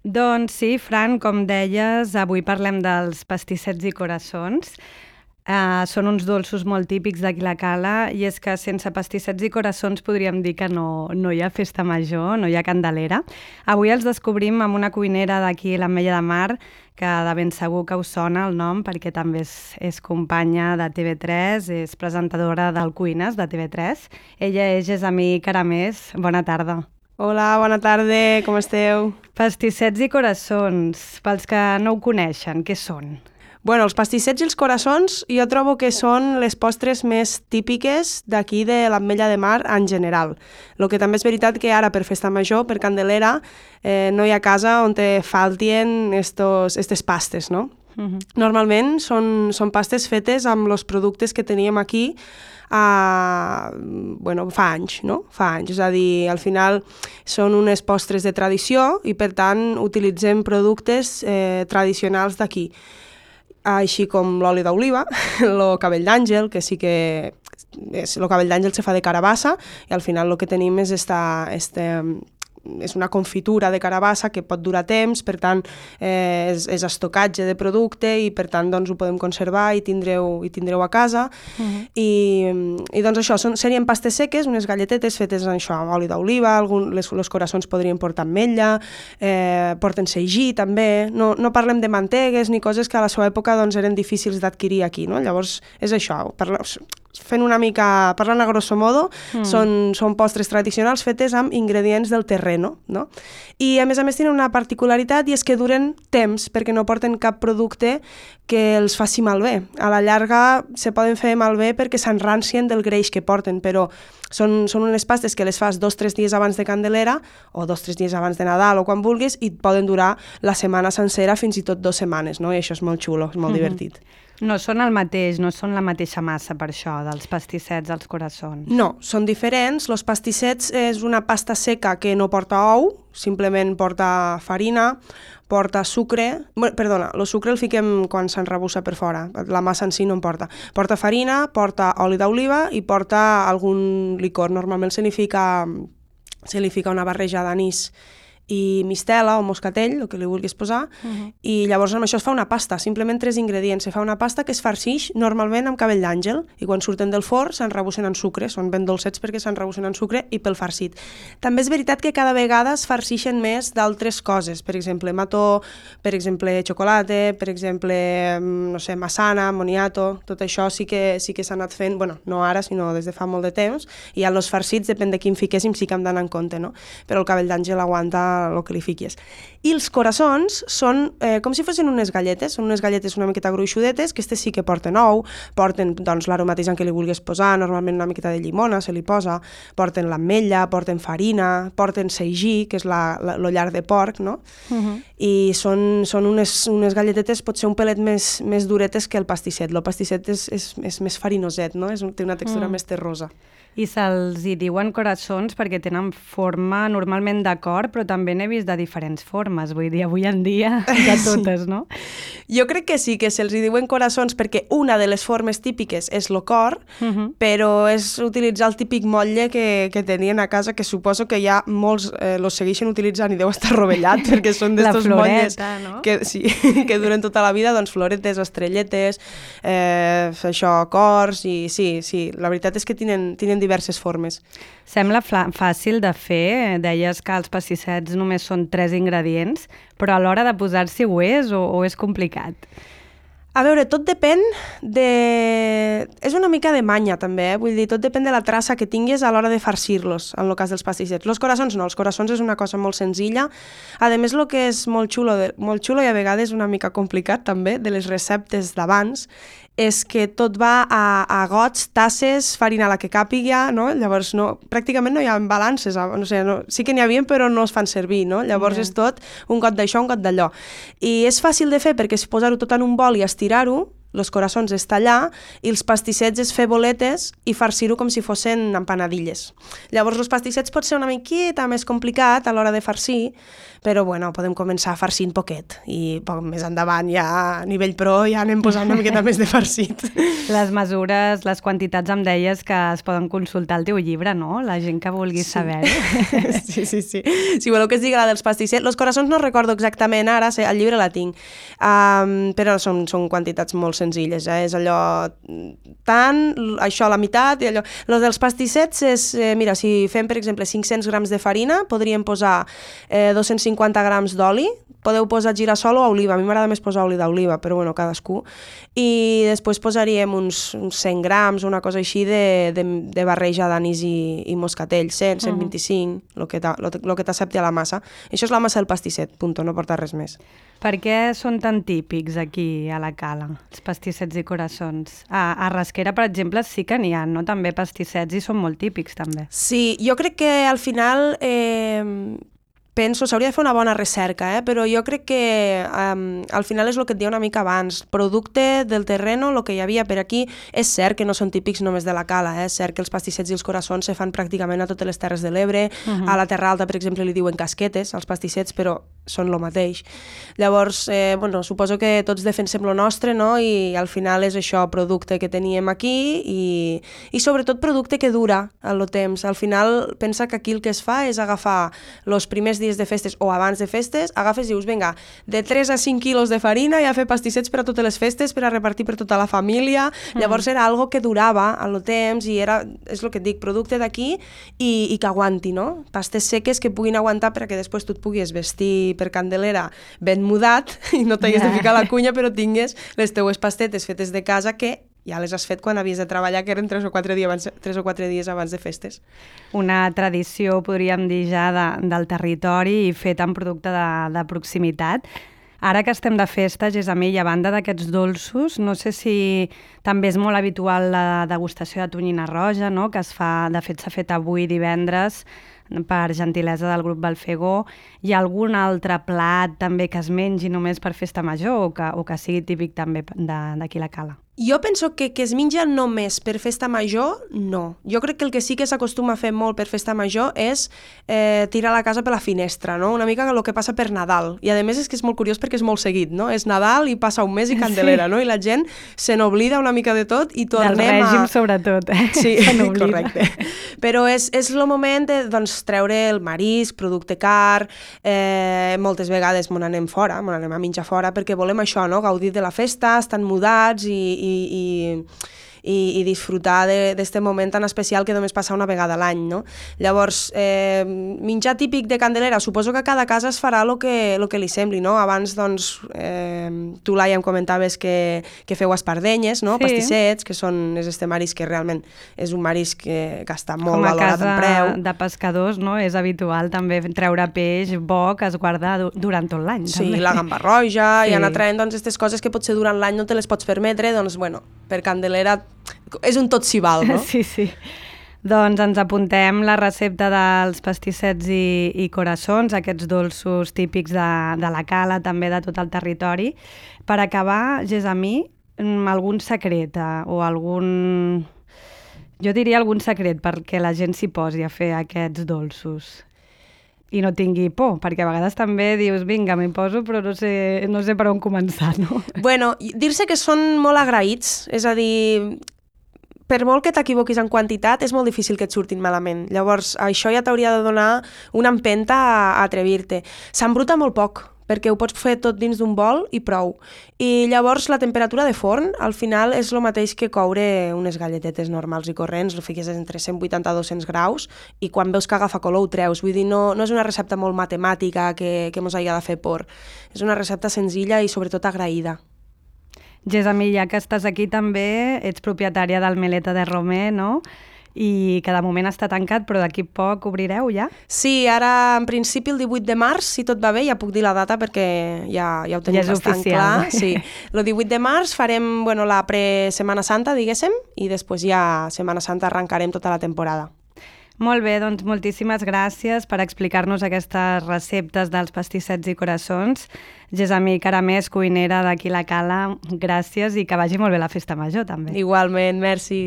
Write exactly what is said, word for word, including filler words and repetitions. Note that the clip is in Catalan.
Doncs sí, Fran, com deies, avui parlem dels pastissets i coraçons. Uh, són uns dolços molt típics d'aquí la Cala i és que sense pastissets i coraçons podríem dir que no, no hi ha festa major, no hi ha Candelera. Avui els descobrim amb una cuinera d'aquí, l'Ametlla de Mar, que de ben segur que us sona el nom perquè també és, és companya de T V tres, és presentadora del Cuines de T V tres. Ella és Gessamí Caramés. Bona tarda. Hola, bona tarda, com esteu? Pastissets i coraçons, pels que no ho coneixen, què són? Bueno, els pastissets i els coraçons jo trobo que són les postres més típiques d'aquí de l'Ametlla de Mar en general. El que també és veritat que ara per festa major, per Candelera, eh, no hi ha casa on te faltien estos, estes pastes, no? Uh-huh. Normalment són, són pastes fetes amb els productes que teníem aquí Uh, bueno, fa anys, no? Fa anys, és a dir, al final són unes postres de tradició i per tant utilitzem productes eh, tradicionals d'aquí, així com l'oli d'oliva, el cabell d'àngel, que sí que és, el cabell d'àngel se fa de carabassa i al final el que tenim és esta, este, és una confitura de carabassa que pot durar temps, per tant eh, és, és estocatge de producte i per tant doncs, ho podem conservar i tindreu, i tindreu a casa. Uh-huh. I, i doncs això, són, serien pastes seques, unes galletetes fetes amb això, amb oli d'oliva, les, els coraçons podrien portar ametlla, eh, porten sagí també, no, no parlem de mantegues ni coses que a la seva època doncs, eren difícils d'adquirir aquí, no? Llavors és això, parla, fent una mica, parlant a grosso modo, mm. són, són postres tradicionals fetes amb ingredients del terreno, no? I a més a més tenen una particularitat i és que duren temps perquè no porten cap producte que els faci malbé. A la llarga se poden fer malbé perquè s'enrancien del greix que porten, però són, són unes pastes que les fas dos o tres dies abans de Candelera o dos o tres dies abans de Nadal o quan vulguis i poden durar la setmana sencera, fins i tot dues setmanes, no? I això és molt xulo, és molt mm-hmm. divertit. No són el mateix, no són la mateixa massa per això, dels pastissets als coraçons. No, són diferents. Els pastissets és una pasta seca que no porta ou, simplement porta farina, porta sucre, bueno, perdona, el sucre el fiquem quan s'enrebussa per fora, la massa en si no en porta. Porta farina, porta oli d'oliva i porta algun licor. Normalment se li fica, se li fica una barreja d'anís i mistela o moscatell, el que li vulguis posar, uh-huh. i llavors amb això es fa una pasta, simplement tres ingredients. Se fa una pasta que es farcix normalment amb cabell d'àngel i quan surten del forn s'enrebussen en sucre, són ben dolcets perquè s'enrebussen en sucre i pel farcit. També és veritat que cada vegada es farcixen més d'altres coses, per exemple, mató, per exemple, xocolata, per exemple, no sé, massana, moniato, tot això sí que, sí que s'ha anat fent, bueno, no ara, sinó des de fa molt de temps, i els farcits, depèn de quin fiquéssim, sí que hem d'anar en compte, no? Però el cabell d'àngel aguanta el que li fiquis. I els coraçons són eh, com si fossin unes galletes, són unes galletes una miqueta gruixudetes, que aquestes sí que porten ou, porten doncs, l'aromatizant que li vulguis posar, normalment una miqueta de llimona se li posa, porten l'ametlla, porten farina, porten sagí, que és la, la, lo llarg de porc, no? Uh-huh. I són, són unes, unes galletetes potser un pelet més, més duretes que el pastisset. El pastisset és, és, és més farinoset, no? És, té una textura uh-huh. més terrosa. I se'ls hi diuen coraçons perquè tenen forma normalment de cor, però també n'he vist de diferents formes, vull dir, avui en dia de totes, sí. no? Jo crec que sí, que se'ls hi diuen coraçons perquè una de les formes típiques és el cor, uh-huh. però és utilitzar el típic motlle que, que tenien a casa, que suposo que ja molts eh, los segueixen utilitzant i deu estar rovellat, perquè són d'estos motlles no? que, sí, que duren tota la vida, doncs floretes, estrelletes, eh, això, cors, i sí, sí, la veritat és que tenen, tenen diverses formes. Sembla fàcil de fer, deies que els pastissets només són tres ingredients, però a l'hora de posar-s'hi ho és o, o és complicat? A veure, tot depèn de... És una mica de manya, també, eh? Vull dir, tot depèn de la traça que tinguis a l'hora de farcir-los, en el cas dels pastissets. Els coraçons no, els coraçons és una cosa molt senzilla. A més, el que és molt xulo, de... molt xulo i a vegades una mica complicat, també, de les receptes d'abans, és que tot va a, a gots, tasses, farina a la que càpiga, no? Llavors no, pràcticament no hi ha balances, no sé, no, sí que n'hi havia però no es fan servir, no? Llavors yeah. és tot un got d'això, un got d'allò. I és fàcil de fer perquè és posar-ho tot en un bol i estirar-ho, els coraçons és tallar i els pastissets és fer boletes i farcir-ho com si fossin empanadilles. Llavors els pastissets pot ser una miqueta més complicat a l'hora de farcir però bueno, podem començar farcint poquet i poc més endavant ja a nivell pro ja anem posant una miqueta més de farcit. Les mesures, les quantitats em deies que es poden consultar al teu llibre, no? La gent que vulgui sí. saber. Sí, sí, sí. Si voleu que es digui la dels pastissets, los coraçons no recordo exactament ara, el llibre la tinc, um, però són, són quantitats molt senzilles, eh? És allò tant, això a la meitat i allò. Los dels pastissets és, eh, mira, si fem per exemple cinc-cents grams de farina, podríem posar eh, dos-cents cinquanta grams d'oli, podeu posar girassol o oliva, a mi m'agrada més posar oli d'oliva, però bueno, cadascú, i després posaríem uns, uns cent grams, una cosa així de, de, de barreja d'anís i, i moscatell, cent, cent vint-i-cinc, el uh-huh. que t'accepti a la massa. Això és la massa del pastisset, punto, no porta res més. Per què són tan típics aquí a la Cala, els pastissets i coraçons? A, a Rasquera, per exemple, sí que n'hi ha, no? També pastissets i són molt típics, també. Sí, jo crec que al final... Eh, penso, s'hauria de fer una bona recerca, eh? Però jo crec que um, al final és el que et deia una mica abans, producte del terreno, el que hi havia per aquí, és cert que no són típics només de la Cala, eh? És cert que els pastissets i els coraçons se fan pràcticament a totes les Terres de l'Ebre, uh-huh. A la Terra Alta, per exemple, li diuen casquetes, els pastissets, però són el mateix. Llavors, eh, bueno, suposo que tots defensem lo nostre, no? I al final és això, producte que teníem aquí i, i sobretot producte que dura el temps. Al final, pensa que aquí el que es fa és agafar els primers dies de festes o abans de festes, agafes i dius, vinga, de tres a cinc quilos de farina i a fer pastissets per a totes les festes, per a repartir per tota la família. Mm. Llavors era algo que durava al temps i era, és el que et dic, producte d'aquí i, i que aguanti, no? Pastes seques que puguin aguantar perquè després tu et puguis vestir per Candelera ben mudat i no t'hagués yeah. de ficar la cunya, però tingues les teues pastetes fetes de casa que ja les has fet quan havies de treballar, que eren tres o quatre dies abans, tres o quatre dies abans de festes. Una tradició, podríem dir ja, de, del territori i fet amb producte de, de proximitat. Ara que estem de festa, Gessamí, i a banda d'aquests dolços, no sé si també és molt habitual la degustació de tonyina roja, no? Que es fa, de fet s'ha fet avui divendres, per gentilesa del grup Balfegó. Hi ha algun altre plat també que es mengi només per festa major o que, o que sigui típic també d'aquí la Cala? Jo penso que que es menja només per festa major, no. Jo crec que el que sí que s'acostuma a fer molt per festa major és eh, tirar la casa per la finestra, no? Una mica el que passa per Nadal. I a més és que és molt curiós perquè és molt seguit, no? És Nadal i passa un mes i Candelera, sí. No? I la gent se n'oblida una mica de tot i tornem a... Del règim, a... sobretot. Eh? Sí, correcte. Però és, és el moment de doncs, treure el marisc, producte car, eh, moltes vegades me n'anem fora, me n'anem a menjar fora perquè volem això, no? Gaudir de la festa, estan mudats i i, i, i, i disfrutar d'aquest moment tan especial que només passa una vegada a l'any, no? Llavors, eh, menjar típic de Candelera, suposo que a cada casa es farà el que, lo que li sembli, no? Abans, doncs, eh, tu, Laia, em comentaves que, que feu espardenyes, no? Sí. Pastissets, que són, és este marisc que realment és un marisc que, que està molt valorat en preu. Com a casa de pescadors, no? És habitual també treure peix bo que es guarda durant tot l'any. Sí, també. La gamba roja, sí. I anar traient doncs, aquestes coses que potser durant l'any no te les pots permetre, doncs, bueno, per Candelera és un tot s'hi val, no? Sí, sí. Doncs ens apuntem la recepta dels pastissets i, i coraçons, aquests dolços típics de, de la Cala, també de tot el territori. Per acabar, Gessamí, algun secret o algun... Jo diria algun secret perquè la gent s'hi posi a fer aquests dolços i no tingui por, perquè a vegades també dius, vinga, m'hi poso, però no sé, no sé per on començar, no? Bueno, dir-se que són molt agraïts, és a dir, per molt que t'equivoquis en quantitat, és molt difícil que et surtin malament. Llavors, això ja t'hauria de donar una empenta a, a atrevir-te. S'embruta molt poc, perquè ho pots fer tot dins d'un bol i prou. I llavors la temperatura de forn al final és el mateix que coure unes galletetes normals i corrents, ho fiques entre cent vuitanta a dos-cents graus i quan veus que agafa color ho treus. Vull dir, no, no és una recepta molt matemàtica que, que mos hagi de fer por. És una recepta senzilla i sobretot agraïda. Gessamí, ja que estàs aquí també, ets propietària del Meleta de Romer, no? I que de moment està tancat, però d'aquí poc obrireu ja? Sí, ara en principi el divuit de març, si tot va bé, ja puc dir la data perquè ja, ja ho tenim ja bastant oficial. Clar. Sí. El divuit de març farem bueno, la pre-Setmana Santa, diguéssim, i després ja Setmana Santa arrencarem tota la temporada. Molt bé, doncs moltíssimes gràcies per explicar-nos aquestes receptes dels pastissets i coraçons. Gessamí Caramés, cuinera d'aquí la Cala, gràcies i que vagi molt bé la festa major també. Igualment, merci.